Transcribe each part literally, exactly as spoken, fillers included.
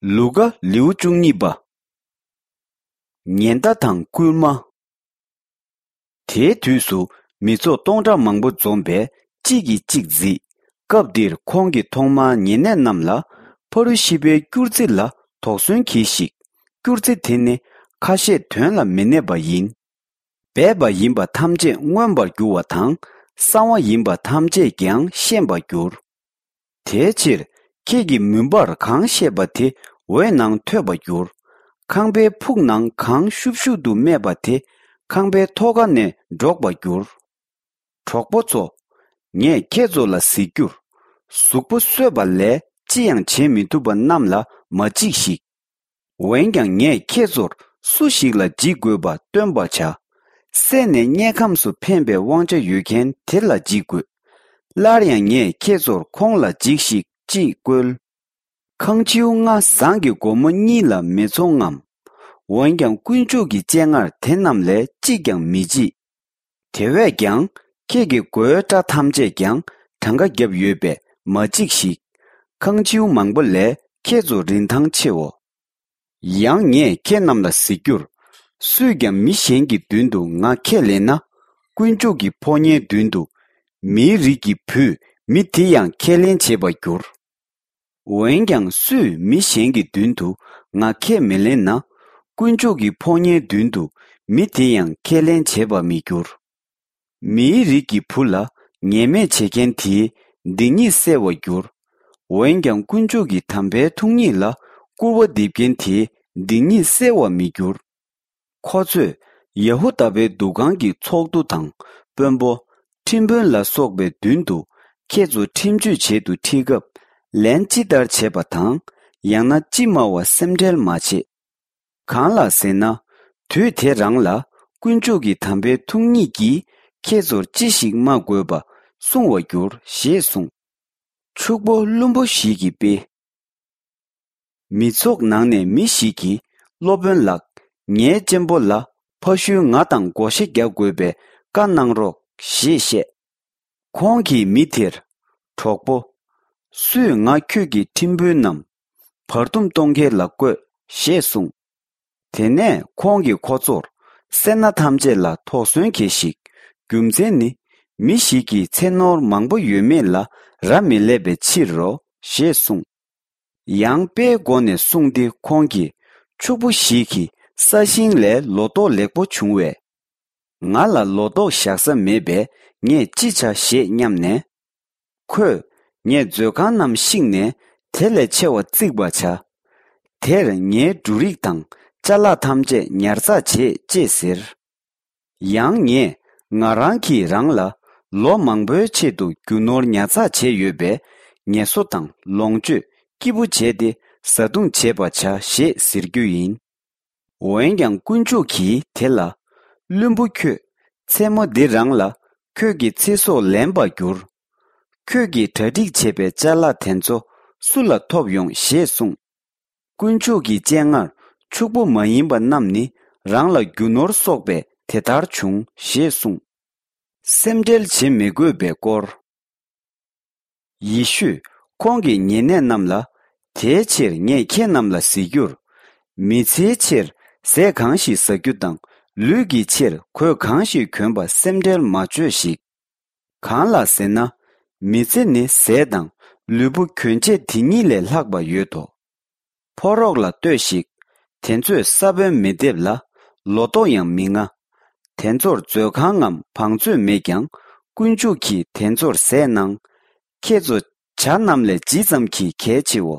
ལུ་ཀ་ལེའུ་བཅུ་གཉིས་པ། ཉེན་བརྡ་དང་སྐུལ་མ། དེའི་དུས་སུ་མི་ཚོགས་སྟོང་ཕྲག་མང་པོ་འཛོམས་པས་གཅིག་གིས་གཅིག་བརྫིས། སྐབས་འདིར་ཁོང་གིས་ཐོག་མར་ཉེ་གནས་རྣམས་ལ་ཕ་རུ་ཤི་པའི་སྐྱུར་རྩི་ལ་དོགས་ཟོན་གྱིས་ཤིག། སྐྱུར་རྩི་དེ་ནི་ཁ་ཤས་དོན་ལ་མི་གནས་པ་ཡིན། སྦས་པ་ཡིན་པ་ཐམས་ཅད་མངོན་པར་འགྱུར་བ་དང་། གསང་བ་ཡིན་པ་ཐམས་ཅད་ཀྱང་ཤེས་པར་འགྱུར། དེའི་ཕྱིར་ཁྱེད་ཀྱིས་མུན་པར་གང་བཤད་པ་དེ་འོད་ནང་ཐོས་པར་འགྱུར། ཁང་པའི་ཕུག་ནང་གང་ཤུབ་ཤུབ་ཏུ་སྨྲས་པ་དེ་ཁང་པའི་ཐོག་ཁ་ནས་སྒྲོག་པར་འགྱུར། གྲོགས་པོ་ཚོ། ངས་ཁྱེད་ཚོ་ལ་གཟིགས་རྒྱུར། གཟུགས་པོ་གསོས་པ་ལས་ཅི་ཡང་བྱེད་མི་ཐུབ་པ་རྣམས་ལ་མ་འཇིགས་ཤིག། འོན་ཀྱང་ངས་ཁྱེད་ཚོར་སུ་ཞིག་ལ་འཇིགས་དགོས་པ་སྟོན་པར་བྱ། སད་ནས་དམྱལ་ཁམས་སུ་འཕེན་པའི་དབང་ཆ་ཡོད་མཁན་དེ་ལ་འཇིགས་དགོས། སླར་ཡང་ངས་ཁྱེད་ཚོར་ཁོང་ལ་འཇིགས་ཤིག་ཅེས་བཀོལ། ཁང་ཁྱེའུ་ལྔ་ཟངས་ཀྱི་སྒོར་མོ་གཉིས་ལ་མི་ཚོང་ངམ། འོན་ཀྱང་དཀོན་མཆོག་གི་སྤྱན་སྔར་དེ་རྣམས་ལས་གཅིག་ཀྱང་མི་བརྗེད། དེ་བས་ཀྱང་ཁྱེད་ཀྱི་མགོའི་སྐྲ་ཐམས་ཅད་ཀྱང་གྲངས་ཀ་བརྒྱབ་ཡོད་པས་མ་འཇིགས་ཤིག། ཁང་ཁྱེའུ་མང་པོ་ལས་ཁྱེད་ཚོ་རིན་ཐང་ཆེའོ། ཡང་ངས་ཁྱེད་རྣམས་ལ་གཟིགས་རྒྱུར། སུས་ཀྱང་མི་གཞན་གྱི་མདུན་དུ་ང་ཁས་ལེན་ན། དཀོན་མཆོག་གི་ཕོ་ཉའི་མདུན་དུ། མིའི་རིགས་ཀྱི་བུས་མི་དེ་ཡང་ཁས་ལེན་བྱེད་པར་འགྱུར། འོན་ཀྱང་སུས་མི་གཞན་གྱི་མདུན་དུ་ང་ཁས་མི་ལེན་ན། དཀོན་མཆོག་གི་ཕོ་ཉའི་མདུན་དུ་མི་དེ་ཡང་ཁས་ལེན་བྱེད་པར་མི་འགྱུར། མིའི་རིགས་ཀྱི་བུ་ལ་ངན་སྨྲས་བྱེད་མཁན་དེའི་སྡིག་ཉེས་སེལ་བར་འགྱུར། འོན་ཀྱང་དཀོན་མཆོག་གི་དམ་པའི་ཐུགས་ཉིད་ལ་སྐུར་བ་འདེབས་མཁན་དེའི་སྡིག་ཉེས་སེལ་བར་མི་འགྱུར། ཁོ་ཚོས་ཡ་ཧུ་དཱ་པའི་འདུ་ཁང་གི་ཚོགས་འདུ་དང་དཔོན་པོ། ཁྲིམས་དཔོན་ལ་སོགས་པའི་མདུན་དུ་ཁྱེད་ཚོ་ཁྲིམས་གཅོད་བྱེད་དུ་ཁྲིད་སྐབས། ལན་ཅི་ལྟར་བྱེད་པ་དང་། ཡང་ན་ཅི་སྨྲ་བ་སེམས་ཁྲལ་མ་བྱེད། གང་ལགས་ཟེར་ན། དུས་དེ་རང་ལ་དཀོན་མཆོག་གི་དམ་པའི་ཐུགས་ཉིད་ཀྱིས་ཁྱེད་ཚོར་ཅི་ཞིག་སྨྲ་དགོས་པ་གསུང་བར་འགྱུར་ཞེས་གསུངས། ཕྱུག་པོ་བླུན་པོ་ཞིག་གི་དཔེ། མི་ཚོགས་ནང་ནས་མི་ཞིག་གིས། སློབ་དཔོན་ལགས། ངའི་གཅེན་པོ་ལ་ཕ་ཤུལ་ང་དང་བགོ་བཤའ་རྒྱག་དགོས་པའི་བཀའ་གནང་རོགས་ཞེས་བཤད། ཁོང་གིས་མི་དེར། གྲོགས་པོ། སུས་ང་ཁྱོད་ཀྱི་ཁྲིམས་དཔོན་ནམ། བར་འདུམ་གཏོང་མཁན་ལ་བསྐོས་ཞེས་གསུངས། དེ་ནས་ཁོང་གིས་ཁོ་ཚོར། སེར་སྣ་ཐམས་ཅད་ལ་དོགས་ཟོན་གྱིས་ཤིག། རྒྱུ་མཚན་ནི། མི་ཞིག་གིས་ཚེ་ནོར་མང་པོ་ཡོད་མེད་ལ་རག་མི་ལས་པའི་ཕྱིར་རོ་ཞེས་གསུངས། ཡང་དཔེའི་སྒོ་ནས་གསུངས་ཏེ་ཁོང་གིས། ཕྱུག་པོ་ཞིག་གིས་ས་ཞིང་ལས་ལོ་ཏོག་ལེགས་པོ་བྱུང་བས། ང་ལ་ལོ་ཏོག་བཞག་ས་མེད་པས་ངས་ཅི་བྱ་ཞེས་སྙམ་ནས། ཁོས། ངས་མཛོད་ཁང་རྣམས་བཤིག་ནས་དེ་ལས་ཆེ་བ་བརྩིག་པར་བྱ། དེར་ངའི་འབྲུ་རིགས་དང་ཅ་ལག་ཐམས་ཅད་ཉར་ཚགས་བྱེད་ཅེས་ཟེར། ཡང་ངས་ང་རང་གིས་རང་ལ་ལོ་མང་པོའི་ཆེད་དུ་རྒྱུ་ནོར་ཉར་ཚགས་བྱས་ཡོད་པས། ངལ་གསོ་དང་ལོངས་སྤྱོད་སྐྱིད་པོ་བྱས་ཏེ་བཟའ་བཏུང་བྱེད་པར་བྱ་ཞེས་ཟེར་རྒྱུ་ཡིན། འོན་ཀྱང་དཀོན་མཆོག་གིས་དེ་ལ། བླུན་པོ་ཁྱོད། མཚན་མོ་འདི་རང་ལ་ཁྱོད་ཀྱི་ཚེ་སྲོག་ལེན་པར་འགྱུར། ཁྱོད་ཀྱིས་གྲ་སྒྲིག་བྱས་པའི་ཅ་ལག་དེ་ཚོ་སུ་ལ་ཐོབ་ཡོང་ཞེས་གསུངས། དཀོན་མཆོག་གི་སྤྱན་སྔར་ཕྱུག་པོ་མ་ཡིན་པ་རྣམས་ནི་རང་ལ་རྒྱུ་ནོར་གསོག་པས་དེ་ལྟར་བྱུང་ཞེས་གསུངས། སེམས་ཁྲལ་བྱེད་མི་དགོས་པའི་སྐོར། ཡེ་ཤུས་ཁོང་གི་ཉེ་གནས་རྣམས་ལ། དེའི་ཕྱིར་ངས་ཁྱེད་རྣམས་ལ་ཟེར་རྒྱུར། མི་ཚེའི་ཕྱིར་ཟས་གང་ཞིག་ཟ་རྒྱུ་དང་ལུས་ཀྱི་ཕྱིར་གོས་གང་ཞིག་གྱོན་པ་སེམས་ཁྲལ་མ་བྱོས་ཤིག། གང་ལགས་ཟེར་ན། མི་ཚེ་ནི་ཟས་དང་ལུས་པོ་གྱོན་ཆས་དེ་གཉིས་ལས་ལྷག་པ་ཡོད་དོ། ཕོ་རོག་ལ་ལྟོས་ཤིག། དེ་ཚོས་ས་བོན་མི་འདེབས་ལ། ལོ་ཏོག་ཡང་མི་རྔ། དེ་ཚོར་མཛོད་ཁང་ངམ་བང་མཛོད་མེད་ཀྱང་། དཀོན་མཆོག་གིས་དེ་ཚོར་ཟས་གནང་། ཁྱེད་ཚོ་བྱ་རྣམས་ལས་ཇི་ཙམ་གྱིས་གལ་ཆེའོ།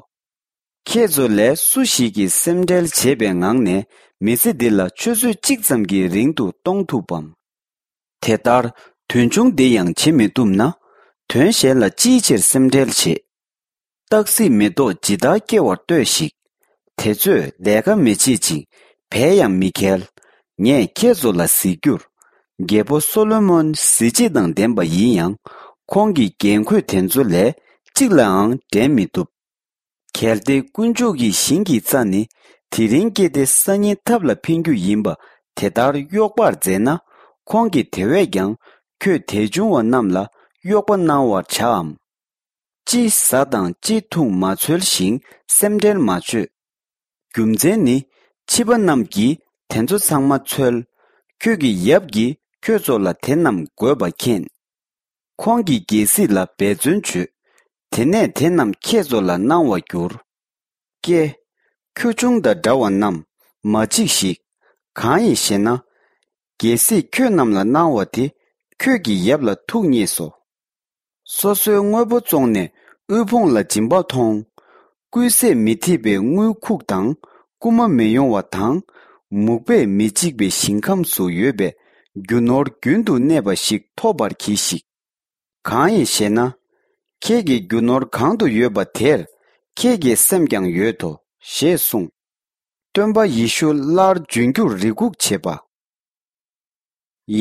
ཁྱེད་ཚོ་ལས་སུ་ཞིག་གིས་སེམས་ཁྲལ་བྱེད་པའི་ངང་ནས་མི་ཚེ་འདི་ལ་ཆུ་ཚོད་གཅིག་ཙམ་གྱི་རིང་དུ་གཏོང་ཐུབ་བམ། དེ་ལྟར་དོན་ཆུང་འདི་ཡང་བྱེད་མི་ཐུབ་ན། དོན་གཞན་ལ་ཅིའི་ཕྱིར་སེམས་ཁྲལ་བྱེད། སྟག་གཟིག་མེ་ཏོག་ཇི་ལྟར་སྐྱེ་བར་ལྟོས་ཤིག། དེ་ཚོས་ལས་ཀ་མི་བྱེད་ཅིང་བལ་ཡང་མི་འཁལ། ངས་ཁྱེད་ཚོ་ལ་ཟེར་རྒྱུར། རྒྱལ་པོ་སོ་ལོ་མོན་གཟི་བརྗིད་དང་ལྡན་པ་ཡིན་ཡང་། ཁོང་གི་རྒྱན་གོས་དེ་ཚོ་ལས་གཅིག་ལའང་འགྲན་མི་ཐུབ། གལ་ཏེ་དཀོན་མཆོག་གི་ཞིང་གི་རྩྭ་ནི་དེ་རིང་སྐྱེས་ཏེ་སང་ཉིན་ཐབ་ལ་འཕེན་རྒྱུ་ཡིན་པ་དེ་ལྟར་གཡོག་པར་མཛད་ན། ཁོང་གིས་དེ་བས་ཀྱང་ཁྱོད་དད་ཆུང་བ་རྣམས་ལ་གཡོག་པ་གནང་བར་བྱའམ། ཅི་ཟ་དང་ཅི་འཐུང་མ་འཚོལ་ཞིང་སེམས་ཁྲལ་མ་བྱོས། རྒྱུ་མཚན་ནི། ཕྱི་པ་རྣམས་ཀྱིས་དེ་ཚོ་ཚང་མ་འཚོལ། ཁྱོད་ཀྱི་ཡབ་ཀྱིས་ཁྱོད་ཚོ་ལ་དེ་རྣམས་དགོས་པ་མཁྱེན། ཁོང་གིས་རྒྱལ་སྲིད་ལ་འབད་བརྩོན་བྱོས། དེ་ནས་དེ་རྣམས་ཁྱེད་ཚོ་ལ་གནང་བར་འགྱུར། ཀྱེ། ཁྱོ་ཆུང་དང་འདྲ་བ་རྣམས་མ་འཇིགས་ཤིག། གང་ཡིན་ཞེ་ན། རྒྱལ་སྲིད་ཁྱོད་རྣམས་ལ་གནང་བ་དེ་ཁྱོད་ཀྱི་ཡབ་ལ་ཐུགས་མཉེས་སོ། སོ་སོའི་དངོས་པོ་བཙོངས་ནས་དབུལ་ཕོངས་ལ་སྦྱིན་པ་མཐོང་། རྐུན་ཟས་མི་ཐེག་པའི་དངུལ་ཁུག་དང་རྐུ་མ་མི་ཡོང་བ་དང་། མུག་པས་མི་འཇིག་པའི་ཞིང་ཁམས་སུ་ཡོད་པའི་རྒྱུ་ནོར་རྒྱུན་དུ་གནས་པ་ཞིག་ཐོབ་པར་གྱིས་ཤིག། གང་ཡིན་ཞེ་ན། ཁྱེད་ཀྱི་རྒྱུ་ནོར་གང་དུ་ཡོད་པ་དེར་ཁྱེད་ཀྱི་སེམས་ཀྱང་ཡོད་དོ། ཞེས་གསུངས། སྟོན་པ་ཡེ་ཤུ་སླར་འབྱོན་རྒྱུར་རེ་སྒུག་བྱེད་པ།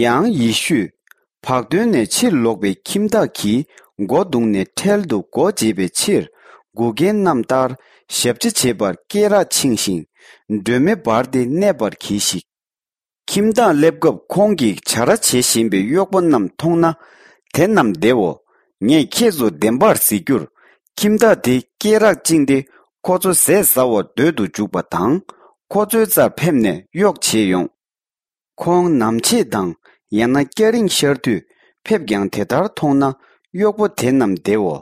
ཡང་ཡེ་ཤུས། བག་སྟོན་ནས་ཕྱིར་ལོག་པའི་ཁྱིམ་བདག་གིས་སྒོ་བརྡུངས་ནས་འཕྲལ་དུ་སྒོ་འབྱེད་པའི་ཕྱིར་འགུག་མཁན་རྣམས་ལྟར་ཞབས་ཕྱི་བྱེད་པར་སྐེ་རགས་འཆིང་ཞིང་། སྒྲོན་མེ་སྦར་ཏེ་གནས་པར་གྱིས་ཤིག། ཁྱིམ་བདག་སླེབས་སྐབས་ཁོང་གིས་བྱ་ར་བྱེད་བཞིན་པའི་གཡོག་པོ་རྣམས་མཐོང་ན། དེ་རྣམས་བདེའོ། ངས་ཁྱེད་ཚོ་བདེན་པར་ཟེར་རྒྱུར། ཁྱིམ་བདག་དེ་སྐེ་རགས་བཅིངས་ཏེ་ཁོ་ཚོ་ཟས་ཟ་བར་སྡོད་དུ་འཇུག་པ་དང་། ཁོ་ཚོའི་རྩར་ཕེབས་ནས་གཡོག་བྱེད་ཡོང་། ཁོང་ནམ་ཕྱེད་དང་ཡང་ན་སྐྱ་རེངས་ཤར་དུས་ཕེབས་ཀྱང་དེ་ལྟར་མཐོང་ན་གཡོག་པོ་དེ་རྣམས་བདེའོ།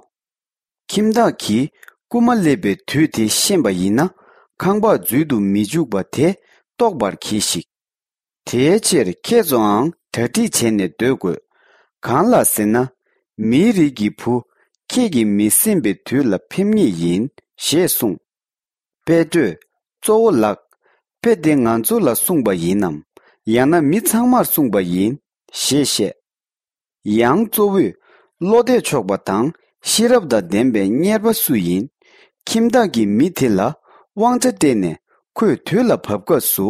ཁྱིམ་བདག་གིས་རྐུན་མ་སླེབས་པའི་དུས་དེ་ཤེས་པ་ཡིན་ན། ཁང་པ་འཛུལ་དུ་མི་འཇུག་པ་དེ་རྟོགས་པར་གྱིས་ཤིག། དེའི་ཕྱིར་ཁྱེད་ཚོའང་གྲ་སྒྲིག་བྱས་ནས་སྡོད་དགོས། གང་ལ་ཟེར་ན། མིའི་རིགས་ཀྱི་བུ་ཁྱེད་ཀྱིས་མི་སེམས་པའི་དུས་ལ་ཕེབས་ངེས་ཡིན། ཞེས་གསུངས། པེ་ཏྲོས། གཙོ་བོ་ལགས། དཔེ་འདི་ང་ཚོ་ལ་གསུངས་པ་ཡིན་ནམ། ཡང་ན་མི་ཚང་མར་གསུངས་པ་ཡིན། ཞེས་བཤད། ཡང་གཙོ་བོས། བློ་གཏད་ཆོག་པ་དང་ཤེས་རབ་དང་ལྡན་པའི་གཉེར་པ་སུ་ཡིན། ཁྱིམ་བདག་གིས་མི་དེ་ལ་དབང་ཆ་སྤྲད་ནས་ཁོས་དུས་ལ་བབ་སྐབས་སུ་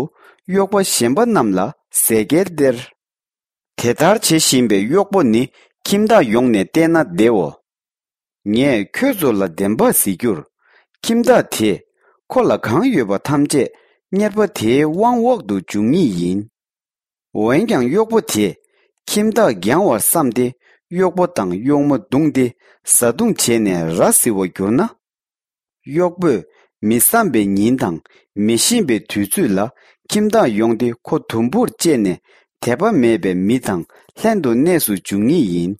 གཡོག་པ་གཞན་པ་རྣམས་ལ་ཟས་སྐལ་སྟེར། དེ་ལྟར་བྱེད་བཞིན་པའི་གཡོག་པོ་ནི་ཁྱིམ་བདག་ཡོང་ནས་བལྟས་ན་བདེའོ། ངས་ཁྱོད་ཚོ་ལ་བདེན་པ་ཟེར་རྒྱུར། ཁྱིམ་བདག་དེས་ཁོ་ལ་གང་ཡོད་པ་ཐམས་ཅད་གཉེར་པ་དེའི་དབང་འོག་ཏུ་འཇུག་ངེས་ཡིན། འོན་ཀྱང་གཡོག་པོ་དེས་ཁྱིམ་བདག་འགྱངས་བར་བསམས་ཏེ་གཡོག་པོ་དང་གཡོག་མོ་བརྡུངས་ཏེ་བཟའ་བཏུང་བྱས་ནས་ར་བཟི་བར་གྱུར་ན། གཡོག་པོས་མི་བསམ་པའི་ཉིན་དང་མི་ཤེས་པའི་དུས་ཚོད་ལ་ཁྱིམ་བདག་ཡོང་སྟེ་ཁོ་དུམ་བུར་བཅད་ནས་དད་པ་མེད་པའི་མི་དང་ལྷན་དུ་གནས་སུ་འཇུག་ངེས་ཡིན།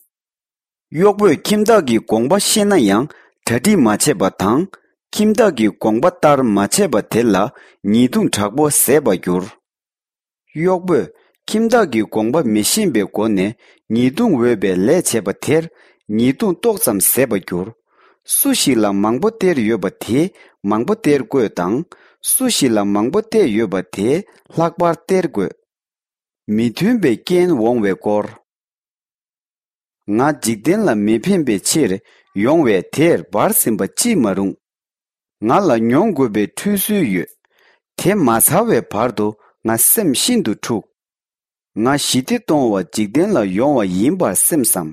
གཡོག་པོས་ཁྱིམ་བདག་གི་དགོངས་པ་ཤེས་ན་ཡང་གྲ་སྒྲིག་མ་བྱས་པ་དང་། ཁྱིམ་བདག་གི་དགོངས་པ་ལྟར་མ་བྱས་པ་དེ་ལ་ཉེས་རྡུང་དྲག་པོ་བཟས་པར་འགྱུར། གཡོག་པོས་ཁྱིམ་བདག་གི་དགོངས་པ་མི་ཤེས་པའི་སྒོ་ནས་ཉེས་རྡུང་འོས་པའི་ལས་བྱས་པ་དེར་ཉེས་རྡུང་ཏོག་ཙམ་བཟས་པར་འགྱུར། སུ་ཞིག་ལ་མང་པོ་སྟེར་ཡོད་པ་དེས་མང་པོ་སྟེར་དགོས་དང་། སུ་ཞིག་ལ་མང་པོ་སྟེར་ཡོད་པ་དེས་ལྷག་པར་སྟེར་དགོས། མི་མཐུན་པའི་རྐྱེན་འོང་བའི་སྐོར། ང་འཇིག་རྟེན་ལ་མི་ཕན་པའི་ཕྱིར་ཡོང་བས་དེར་འབར་ཟིན་པ་ཅིས་མ་རུང་། ང་ལ་མྱོང་དགོས་པའི་ཁྲུས་གསོལ་ཡོད། དེ་མ་ཚར་བའི་བར་དུ་ང་སེམས་ཤིན་ཏུ་འཁྲུགས། ང་ཞི་བདེ་གཏོང་བ་འཇིག་རྟེན་ལ་ཡོང་བ་ཡིན་པར་སེམས་སམ།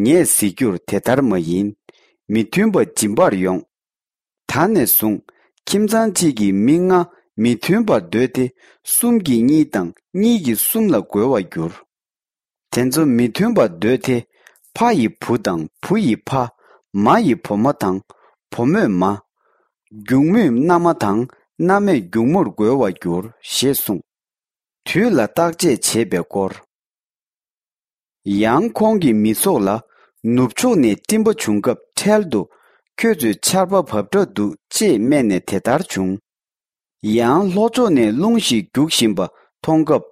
ངས་ཟེར་རྒྱུར་དེ་ལྟར་མ་ཡིན། མི་མཐུན་པ་སྦྱིན་པར་ཡོང་། ད་ནས་བཟུང་ཁྱིམ་ཚང་གཅིག་གིས་མི་ལྔ་མི་མཐུན་པར་འདོད་དེ་གསུམ་གྱིས་གཉིས་དང་གཉིས་ཀྱིས་གསུམ་ལ་རྒོལ་བར་འགྱུར། དེ་ཚོ་མི་མཐུན་པར་འདོད་དེ་ཕ་ཡི་བུ་དང་བུ་ཡི་ཕ། མ་ཡི་བུ་མོ་དང་བུ་མོས་མ། སྒྱུག་མོས་མནའ་མ་དང་མནའ་མས་སྒྱུག་མོར་རྒོལ་བར་འགྱུར་ཞེས་གསུངས། དུས་ལ་བརྟག་དཔྱད་བྱེད་པའི་སྐོར། ཡང་ཁོང་གིས་མི་ཚོགས་ལ། ནུབ་ཕྱོགས་ནས་སྤྲིན་པ་བྱུང་སྐབས་འཕྲལ་དུ་ཁྱོད་ཚོས་ཆར་པ་བབས་འདྲ་འདུག་ཅེས་སྨྲས་ནས་དེ་ལྟར་བྱུང་། ཡང་ལྷོ་ཕྱོགས་ནས་རླུང་ཞིག་རྒྱུག་བཞིན་པ་མཐོང་སྐབས་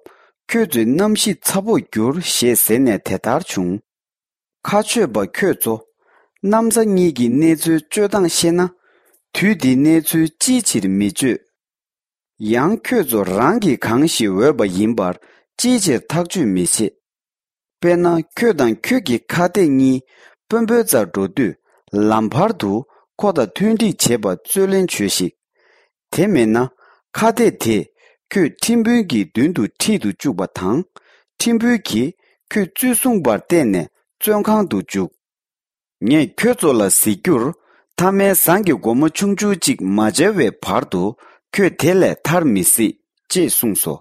ཁྱོད་ཚོས་གནམ་གཤིས་ཚ་པོར་འགྱུར་ཞེས་ཟེར་ནས་དེ་ལྟར་བྱུང་། ཁ་ཆོད་པ་ཁྱོད་ཚོ། གནམ་ས་གཉིས་ཀྱི་གནས་ཚུལ་དཔྱོད་སྟངས་ཤེས་ན། དུས་འདིའི་གནས་ཚུལ་ཅིའི་ཕྱིར་མི་དཔྱོད། ཡང་ཁྱོད་ཚོ་རང་གིས་གང་ཞིག་འོས་པ་ཡིན་པར་ཅིའི་ཕྱིར་ཐག་གཅོད་མི་བྱེད། དཔེར་ན་ཁྱོད་དང་ཁྱོད་ཀྱི་ཁ་གཏད་གཉིས་དཔོན་པོའི་རྩར་འགྲོ་དུས་ལམ་བར་དུ་ཁོ་དང་མཐུན་འགྲིག་བྱེད་པར་རྩོད་ལེན་བྱོས་ཤིག། དེ་མེད་ན་ཁ་གཏད་དེས་ཁྱོད་ཁྲིམས་དཔོན་གྱི་མདུན་དུ་ཁྲིད་དུ་བཅུག་པ་དང་། ཁྲིམས་དཔོན་གྱིས་ཁྱོད་བཙོན་སྲུང་པར་གཏད་ནས་བཙོན་ཁང་དུ་འཇུག། ངས་ཁྱོད་ཚོ་ལ་ཟེར་རྒྱུར། ཐ་མའི་ཟངས་ཀྱི་སྒོར་མོ་ཆུང་ཆུང་གཅིག་མ་འབྱལ་བའི་བར་དུ་ཁྱོད་དེ་ལས་ཐར་མི་སྲིད། ཅེས་གསུངས་སོ།